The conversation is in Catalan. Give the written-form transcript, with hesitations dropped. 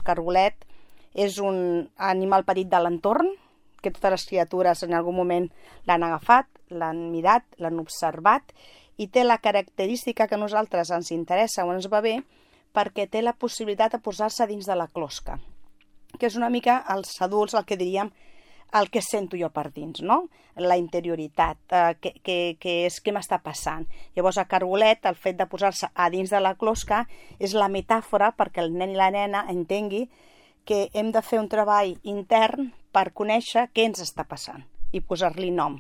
El cargolet és un animal petit de l'entorn, que totes les criatures en algun moment l'han agafat, l'han mirat, l'han observat, i té la característica que a nosaltres ens interessa o ens va bé perquè té la possibilitat de posar-se dins de la closca, que és una mica els adults el que diríem el que sento jo per dins, no? La interioritat, què m'està passant. Llavors, a cargolet, el fet de posar-se a dins de la closca és la metàfora perquè el nen i la nena entengui que hem de fer un treball intern per conèixer què ens està passant i posar-li nom.